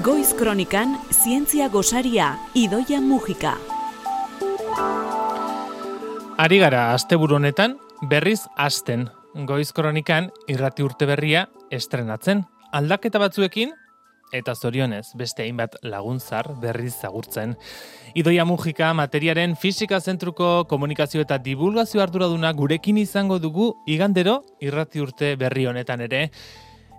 Goiz Kronikan, zientzia gosaria, Idoia Mujika. Ari gara asteburu honetan berriz hasten. Goiz Kronikan irrati urte berria estrenatzen. Aldaketa batzuekin eta zorionez beste hainbat laguntzar berriz agurtzen. Idoia Mujika materiaren fisika zentruko komunikazio eta divulgazio arduraduna gurekin izango dugu igandero irrati urte berri honetan ere.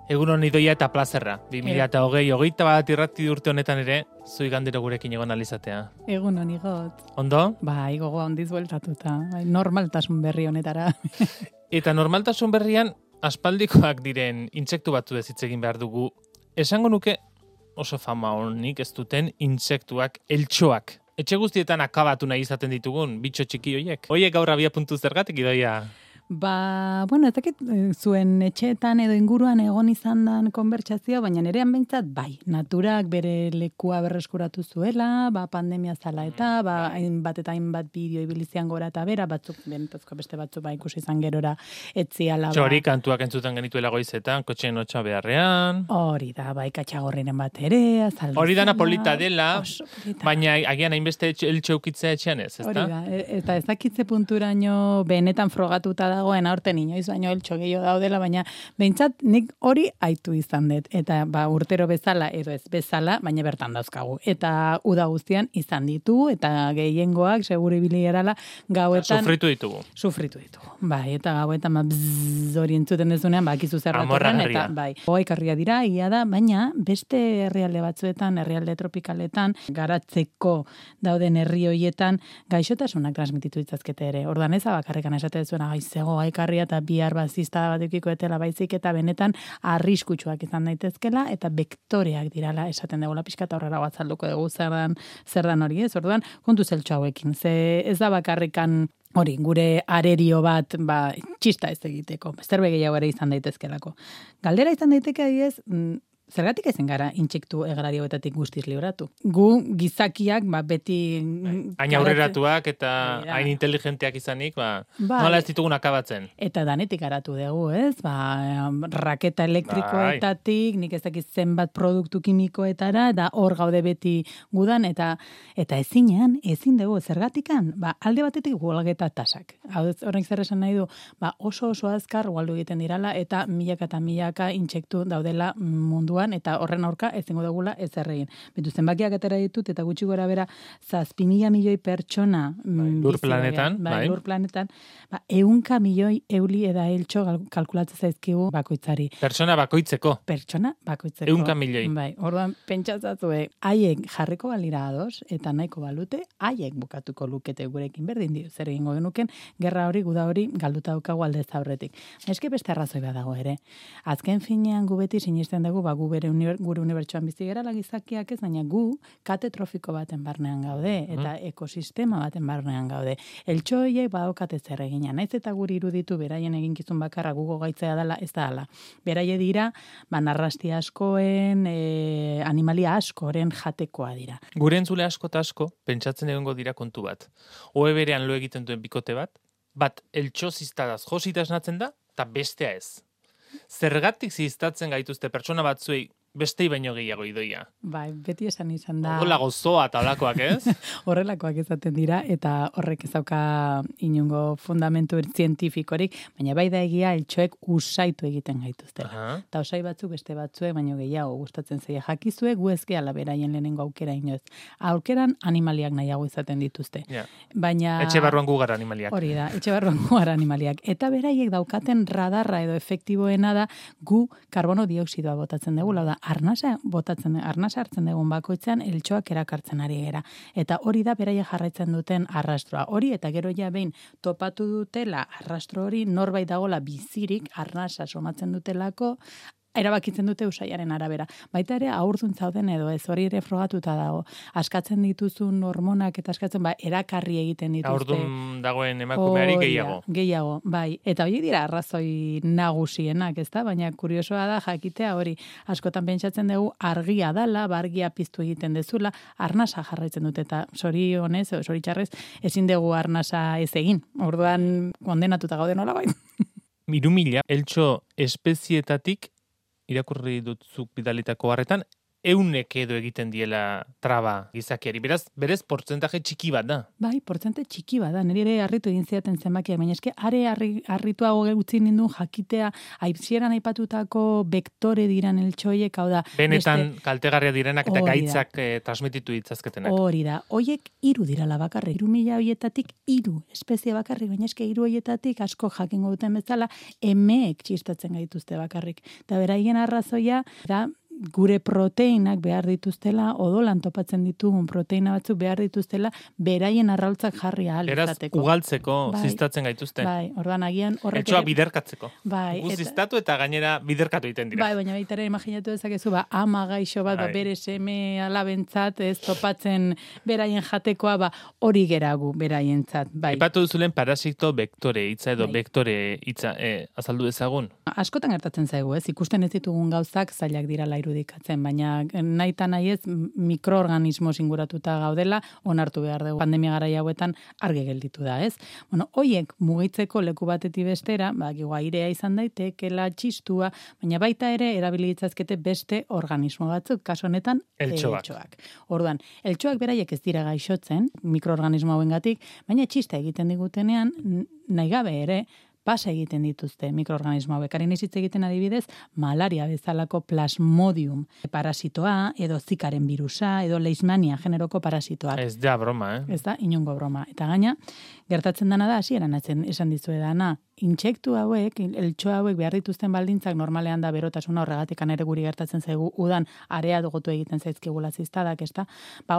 Egunon Idoia eta plazerra. 2020 irrati urte honetan ere, zu igandero gurekin egon alizatea. Egunon igot. Ondo? Bai, gogoa ondiz bueltatuta. Normaltasun berri honetara. Eta normaltasun berrian, aspaldikoak diren intsektu batzu ez hitz egin behar dugu. Esango nuke oso fama honik ez duten intsektuak, eltxoak. Etxe guztietan akabatu nahi izaten ditugun, bitxo txiki hoiek. Hoiek gaur abia puntu zergatik, Idoia? Ez dakit zuen etxeetan edo inguruan egon izan dan konbertsazioa, baina nerean behintzat bai, naturak bere lekua berreskuratu zuela, pandemia zala eta, hainbat eta hainbat bideo ibilizian gora eta bera, batzuk, benetazko beste batzuk ikusi izan gerora etziala. Txori kantuak entzuten genituela goizetan, kotxeen hotxa beharrean. Hori da, bai, katxagorriren bat ere, azaldu. Hori da napolita dela, baina agian hainbeste eltxeukitzea etxean ez, ezta? Hori da, eta ezakitze punturaino benetan frogatuta dagoen aurten inoiz baino eltxo gehiago daudela, baina behintzat nik hori aitu izan dut. Eta urtero bezala edo ez bezala, baina bertan dauzkagu. Eta uda guztian izan ditu, eta gehiengoak seguru ibili gerala gauetan... Sufritu ditugu. Bai, eta gauetan hori entzuten dezunean, bakizu zerratorren, eta bai. Oaikarria dira, ia da, baina beste herrialde batzuetan, herrialde tropikaletan, garatzeko dauden herri hoietan, gaixotasunak transmititu ditzazkete ere. Ordan ez abakarrekan esate dezuena, goaikarria eta bihar bazista batekiko etela baizik eta benetan arriskutsuak izan daitezkela eta vektoreak dirala esaten dugula pixka eta horrela batzalduko dugu zer dan hori ez, orduan kontu zeltxo hauekin, ze ez da bakarrikan hori, gure arerio bat txista ez egiteko, zerbe gehiago ere izan daitezkelako. Galdera izan daiteke ez, zergatik ezen gara intsektu egrarioetatik guztiz libratu. Gu gizakiak beti... Hain aurreratuak eta hain inteligenteak izanik, nola ez ditugun akabatzen. Eta danetik garatu dugu, ez? Raketa elektrikoetatik, nik ez dakit zenbat produktu kimikoetara, da hor gaude beti gudan, eta ezin dugu, zergatikan, alde batetik gualgeta tasak. Horrek zer esan nahi du, oso azkar gualdu egiten dirala, eta milaka eta milaka intsektu daudela mundu eta horren aurka ezingo dugula ez erregin. Betu zenbakiak atera ditut eta gutxi gora bera 7.000 milioi pertsona lur planetan, lur planetan, 100 milioi euli eda eltxo kalkulatzen zaizkigu bakoitzari. Pertsona bakoitzeko. 100 milioi. Bai, orduan pentsatzazue, haiek jarriko balira ados eta nahiko balute, haiek bukatuko lukete gurekin berdin dio. Zer egingo genuken, gerra hori, guda hori galduta daukagu aldez aurretik. Eske beste arrazoi badago ere. Azken finean gu beti sinisten dugu gure unibertsuan bizi gerala gizakiak ez, baina gu kate trofiko baten barnean gaude, eta ekosistema baten barnean gaude. Eltxoiek badaukate zer egina, naiz eta guri iruditu beraien eginkizun bakarra gugo gaitzea dela, ez da hala. Beraie dira, narrasti askoen, animalia askoren jatekoa dira. Gure entzule asko eta asko, pentsatzen egongo dira kontu bat. Oe berean lo egiten duen bikote bat eltxo ziztadaz josita esnatzen da, eta bestea ez. Zergatik ziztatzen gaituzte pertsona batzuei bestei baino gehiago Idoia? Bai, beti esan izan da. Horrela gozoa eta holakoak ez? Horrelakoak izaten dira, eta horrek ezauka inungo fundamentu zientifikorik, baina bai da egia eltxoek usaitu egiten gaituztela. Eta usai batzuk beste batzuek, baino gehiago gustatzen zaie jakizue, gu ezke ala beraien lehenengo aukera inoz. Aukeran animaliak nahiago izaten dituzte. Baina... Etxe barruan gu gara animaliak. Hori da, etxe barruan gu gara animaliak. Eta beraiek daukaten radarra edo efektiboena da gu karbono dioksidoa botatzen dugu, da arnasa hartzen dugun bakoitzean eltxoak erakartzen ari gera. Eta hori da beraia jarraitzen duten arrastroa. Hori eta gero ja behin topatu dutela arrastro hori norbait dagola bizirik arnasa somatzen dutelako, erabakitzen dute usaiaren arabera. Baita ere, haurdun zauden edo ez hori ere frogatuta dago. Askatzen dituzun hormonak eta askatzen, erakarri egiten dituzte. Haurdun dagoen emakumeari gehiago. Gehiago, bai. Eta hori dira arrazoi nagusienak, ezta? Baina kuriosoa da jakitea hori. Askotan pentsatzen dugu argia dala, argia piztu egiten dezula, arnasa jarraitzen dute eta zoritxarrez, ezin dugu arnasa ez egin. Orduan kondenatuta gaude nola bai. 3.000 eltxo espezietatik irakurri dutzuk bidalitako harretan, eunek edo egiten diela traba gizakiari. Beraz, berez, portzentaje txiki bat da. Bai, portzente txiki bada. Nire ere harritu egin zidaten zenbakia, baina eske are harrituago utzi nindun jakitea aipsieran aipatutako vektore diran eltxoiek, hau da. Benetan kaltegarria direnak eta Hori da. gaitzak transmititu ditzazketenak. Hori da. Hoiek 3 dirala bakarrik. 3.000 hoietatik 3 espezie bakarrik, baina eske 3 hoietatik asko jakingo duten bezala emeek txistatzen gaituzte bakarrik. Eta beraien arrazoia da gure proteinak behar dituztela, odolan topatzen ditugun proteina batzuk behar dituztela, beraien arrautzak jarri ahal Beraz, izateko. ugaltzeko Bai. ziztatzen gaituzte. Bai, orduan agian horrek Etxoa biderkatzeko. Bai, Gu ziztatu eta gainera biderkatu egiten dira. Bai, baina baita ere imaginatu dezakezu, ama gaixo bat, Bai. bere seme alabentzat, ez topatzen beraien jatekoa, hori geragu beraientzat. Bai. Aipatu duzulen parasito vektore hitza edo Bai. vektore hitza azaldu dezagun. Askotan gertatzen zaigu, ez? Ikusten ez ditugun gauzak zailak dirala irudikatzen, baina nahita nahi ez mikroorganismo singuratuta gaudela, onartu behar dugu. Pandemia garaia hauetan argi gelditu da, ez? Bueno, hoiek mugitzeko leku batetik bestera, airea izan daitekela, txistua, baina baita ere erabili ditzazkete beste organismo batzuk, kasu honetan Eltxoak. Orduan, eltxoak beraiek ez dira gaixotzen, mikroorganismo hauengatik, baina txista egiten digutenean, nahi gabe ere, pasa egiten dituzte mikroorganismo hauek. Harin hitz egiten adibidez, malaria bezalako plasmodium parasitoa, edo zikaren virusa, edo leishmania generoko parasitoak. Ez da broma, Ez da, inongo broma. Eta gaina, gertatzen dana da, hasieran esan dizuedana, intsektu hauek, eltxo hauek behar dituzten baldintzak normalean da berotasuna horregatik ere guri gertatzen zaigu udan area dugotu egiten zaizkigula ziztadak, ez da?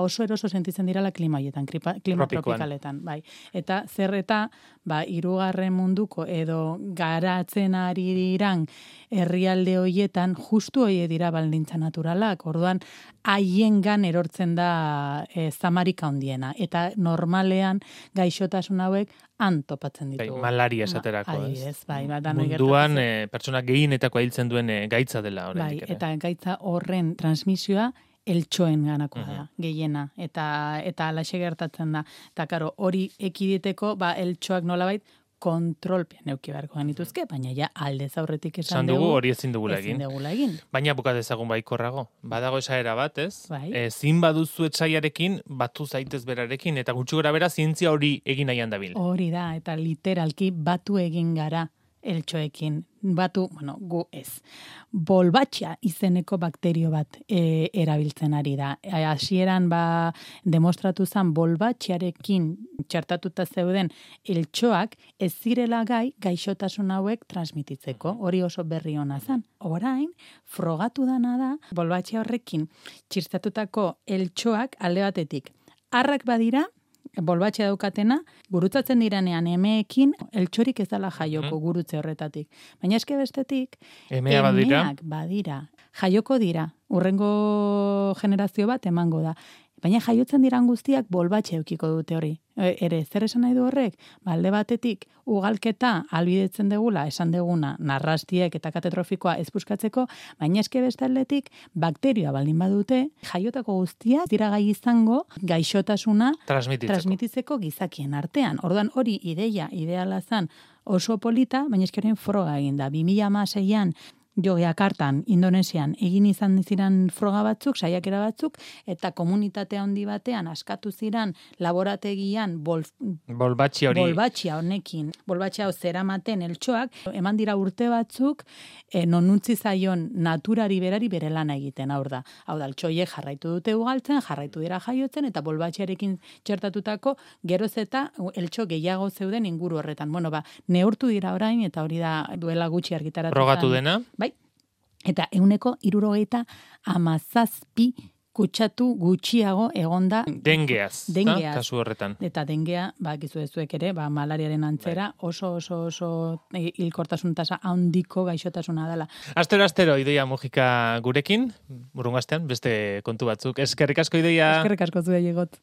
Oso eroso sentitzen dirala klima hoietan, klima tropikaletan, bai. Eta zer eta, 3. munduko edo garatzen ari diran herrialde hoietan justu hoie dira baldintza naturalak. Orduan, haiengan erortzen da zamarika handiena. Eta normalean gaixotasun hauek han topatzen ditugu. Malaria esaterako. Adibidez, bai. Munduan pertsona gehienetako hiltzen duen gaitza dela. Bai, eta gaitza horren transmisioa eltxoen ganakoa da, gehiena. Eta alaxe gertatzen da. Eta karo, hori ekiditeko, eltxoak nolabait, kontrolpean neuki beharko genituzke, baina ja aldez aurretik esan dugu hori ezin dugula egin. Baina buka dezagun baikorrago. Badago esaera bat, ez? Bai. Ezin baduzu etsaiarekin, batu zaitez berarekin, eta gutxi gora bera zientzia hori egin nahian dabil. Hori da, eta literalki batu egin gara eltxoekin. Batu, gu ez. Bolbatxa izeneko bakterio bat erabiltzen ari da. Hasieran demostratu zen bolbatxarekin txertatuta zeuden eltxoak ez zirela gaixotasun hauek transmititzeko. Hori oso berri ona zen. Orain, frogatu dana da, bolbatxa horrekin txertatutako eltxoak alde batetik. Arrak badira, bolbatxe daukatena, gurutzatzen diranean emeekin, eltxorik ez dala jaioko gurutze horretatik. Baina eske bestetik, emeak badira. Jaioko dira, urrengo generazio bat emango da. Baina jaiotzen diran guztiak bolbatxe eukiko dute hori. Ere, zer esan nahi du horrek? Alde batetik, ugalketa albidetzen degula, esan deguna, narrastiek eta katetrofikoa ez puskatzeko, baina eske bestaldetik, bakterioa baldin badute, jaiotako guztiak dira gai izango gaixotasuna transmititzeko gizakien artean. Orduan hori ideala zen oso polita, baina eske horrein froga egin da. 2016an, Jakartan, Indonesian, egin izan ziren froga batzuk, saiakera batzuk, eta komunitate handi batean askatu ziren laborategian bolbatxia honekin, bolbatxia hau zeramaten eltxoak, eman dira urte batzuk, non utzi zaion naturari berari bere lana egiten, hau da, eltxoiek jarraitu dute ugaltzen, jarraitu dira jaiotzen, eta bolbatxiarekin txertatutako geroz eta eltxo gehiago zeuden inguru horretan. Neurtu dira orain, eta hori da duela gutxi argitaratu. Frogatu dena? Bai. Eta 167 kutsatu gutxiago egonda dengeaz, kasu horretan. Eta dengea, bakizu ezuek ere, malariaren antzera, oso hilkortasun tasa handiko gaixotasuna dela. Astero, Idoia Mujika gurekin, burungastean, beste kontu batzuk. Eskerrik asko, Idoia. Eskerrik asko zuei egot.